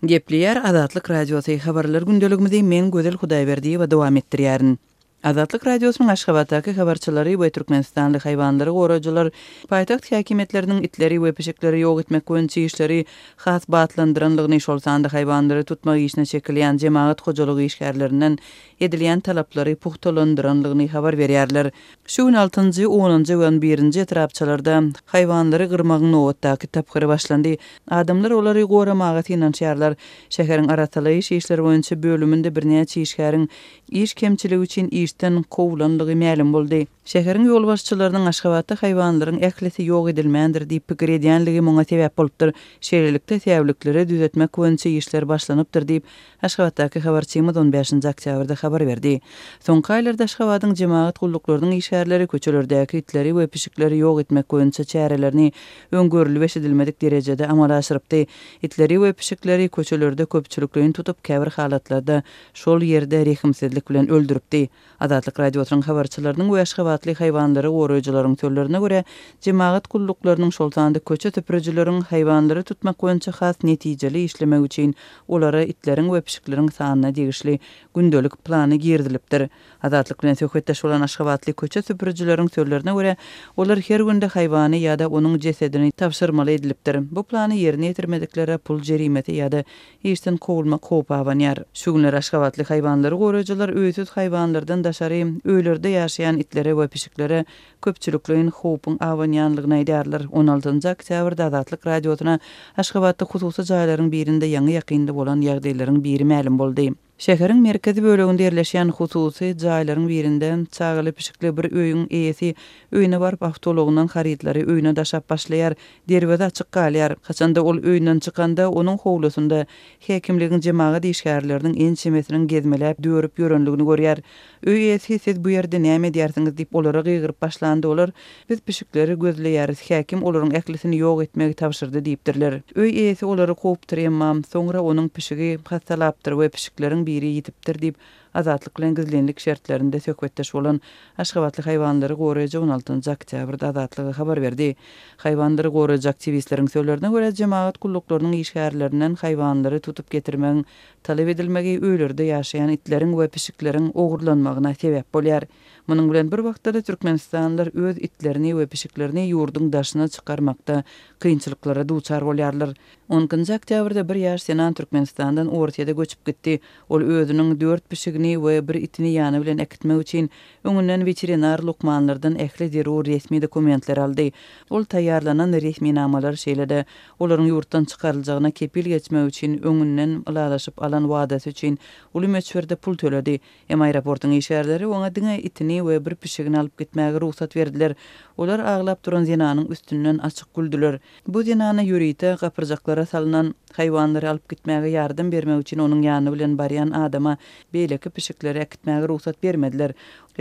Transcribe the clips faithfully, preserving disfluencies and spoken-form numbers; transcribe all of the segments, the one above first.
Gepleýär Azatlyk Radiosy, Habarlar gündeligimizi men Gözel Hudaýberdiýewa dowam etdirýärin. Azatlyk Radiosynyň Aşgabatdaky habarçylary we türkmenistanly haýwanlary goraýjylar paýtagt häkimiýetleriniň itleri we pişikleri ýok etmek boýunça işleri has batlandyranlygyny, şol sanda haýwanlary tutmak işine çekilýän jemagat hojalygy işgärlerinden edilýän talaplary pugtalandyranlygyny habar berýärler. Şu gün altynjy, onunjy we on birinji etrapçalarda haýwanlary gyrmagyň nobatdaky tapgyry başlandy. Adamlar olary goramaga synanyşýarlar. Şäheriň arassalaýyş işleri boýunça bölüminde birnäçe işgäriň iş kemçiligi üçin işden kowlanlygy mälim boldy. Şäheriň ýolbaşçylarynyň Aşgabatda haýwanlaryň ählisi ýok edilmändir diýip pikir edýänligi muňa sebäp bolupdyr. Şeýlelikde, säwlikleri düzetmek boýunça işler başlanypdyr diýip, Aşgabatdaky habarçymyz on bäşinji oktýabrda habar berdi. Soňky aýlarda Aşgabadyň jemagat gulluklarynyň işgärleri köçelerdäki itleri we pişikleri ýok etmek boýunça çärelerini öň görlüp eşidilmedik derejede amala aşyrypdy. Itleri we pişikleri köçelerde köpçülikleýin tutup, käbir halatlarda şol ýerde rehimsizlik bilen öldüripdi. Azatlyk Radiosynyň habarçylarynyň we aşgabatly haýwanlary goraýjylaryň sözlerine görä, jemagat gulluklarynyň, şol sanda köçe süpürijileriň haýwanlary tutmak boýunça has netijeli işlemek üçin olara itleriň we pişikleriň sanyna degişli gündelik plany girizilipdir. Azatlyk bilen söhbetdeş bolan aşgabatly köçe süpürijileriň sözlerine görä, olar her günde haýwany ýa-da onuň jesedini tabşyrmaly edilipdir. Bu plany ýerine ýetirmediklere pul jerimesi ýa-da işden kowulmak howpy abanýar. Şu günler aşgabatly haýwanlary goraýjylar öýsüz haýwanlardan daşary öýlerde ýaşaýan itlere we pişiklere köpçülikleýin howpuň abanýanlygyny aýdýarlar. on altynjy oktýabrda Azatlyk Radiosyna Aşgabatda hususy jaýlaryň birinde ýaňy ýakynda bolan ýagdaýlaryň biri mälim boldy. Şäheriň merkezi böleginde ýerleşýän hususy jaýlaryň birinde çagaly pişikli bir öýüň eýesi öýüne baryp awtoulagyndan harytlary öýüne daşap başlaýar, derweze açyk galýar. Haçanda ol öýünden çykanda onuň howlusynda häkimligiň jemagat işgärleriniň ençemesiniň gezmeläp dörüp ýörenligini görýär. Öý eýesi siz bu ýerde näme edýärsiňiz diýip olara gygyryp başlandy. Olar biz pişikleri gözleýäris, häkim olaryň ählisini ýok etmegi tabşyrdy diýipdirler. Öý eýesi olary kowupdyr, emma soňra onuň pişigi hassalapdyr we pişikleriň biri ýitipdir diýip Azatlyk bilen gizlinlik şertlerinde söhbetdeş bolan Aşgabatly haýwanlary goraýjy on altynjy oktýabrda Azatlyga habar berdi. Haýwanlary goraýjy aktiwistleriň sözlerine görä, jemagat gulluklarynyň işgärlerinden haýwanlary tutup getirmegiň talap edilmegi öýlerde ýaşaýan itleriň we pişikleriň ogurlanmagyna sebäp bolýar. Munuň bilen bir wagtda-da türkmenistanlylar öz itlerini we pişiklerini ýurduň daşyna çykarmakda kynçylyklara duçar bolýarlar. on ikinji oktýabrda bir ýaş zenan Türkmenistandan Orsýete göçüp gitdi. Ol özüniň dört pişigini we bir itini ýany bilen äkitmek üçin öňünden weterinar lukmanlardan ähli zerur resmi dokumentler aldy. Ol taýýarlanan resminamalar şeýle-de olaryň ýurtdan çykaryljagyna kepil geçmek üçin öňünden ylalaşyp alan wadasy üçin uly möçberde pul töledi. Emma aeroportuň işgärleri oňa diňe itini we bir pişigini alyp gitmäge rugsat berdiler. Olar aglap duran zenanyň üstünden açyk güldüler. Bu zenana ýörite gapyrjaklara salynan haýwanlary alyp gitmäge ýardam bermek üçin onuň ýany bilen barýan adama beýleki pişikleri äkitmäge rugsat bermediler.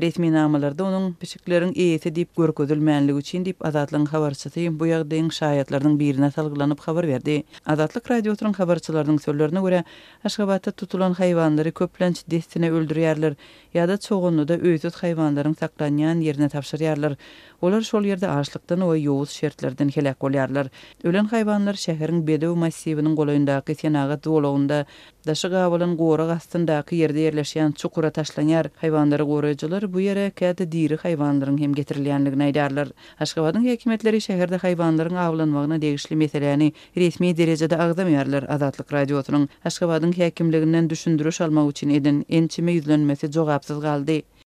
Resminamalarda onuň pişikleriň eýesi diýip görkezilmänligi üçin diýip Azatlygyň habarçysy bu ýagdaýyň şaýatlarynyň birine salgylanyp habar berdi. Azatlyk Radiosynyň habarçylarynyň sözlerine görä, Aşgabatda tutulan haýwanlary köplenç dessine öldürýärler ýa-da çoganlyda öýsüz haýwanlaryň saklanýan ýerine tabşyrýarlar. Olar şol ýerde açlykdan we ýowuz şertlerden heläk bolýarlar. Ölen haýwanlar şäheriň Bedew massiwiniň golaýyndaky senagat zolagynda daşy gabalan gorag astyndaky ýerde ýerleşýän çukura taşlanýar. Haýwanlary goraýjylar bu ýere käte diri haýwanlaryň hem getirilýänligini aýdarlar. Aşgabadyň häkimiýetleri şäherde haýwanlaryň awlanmagyna degişli meseläni resmi derejede agzamaýarlar. Azatlyk Radiosynyň Aşgabadyň häkimliginden düşündiriş almak üçin eden ençeme ýüzlenmesi jogapsyz galdy.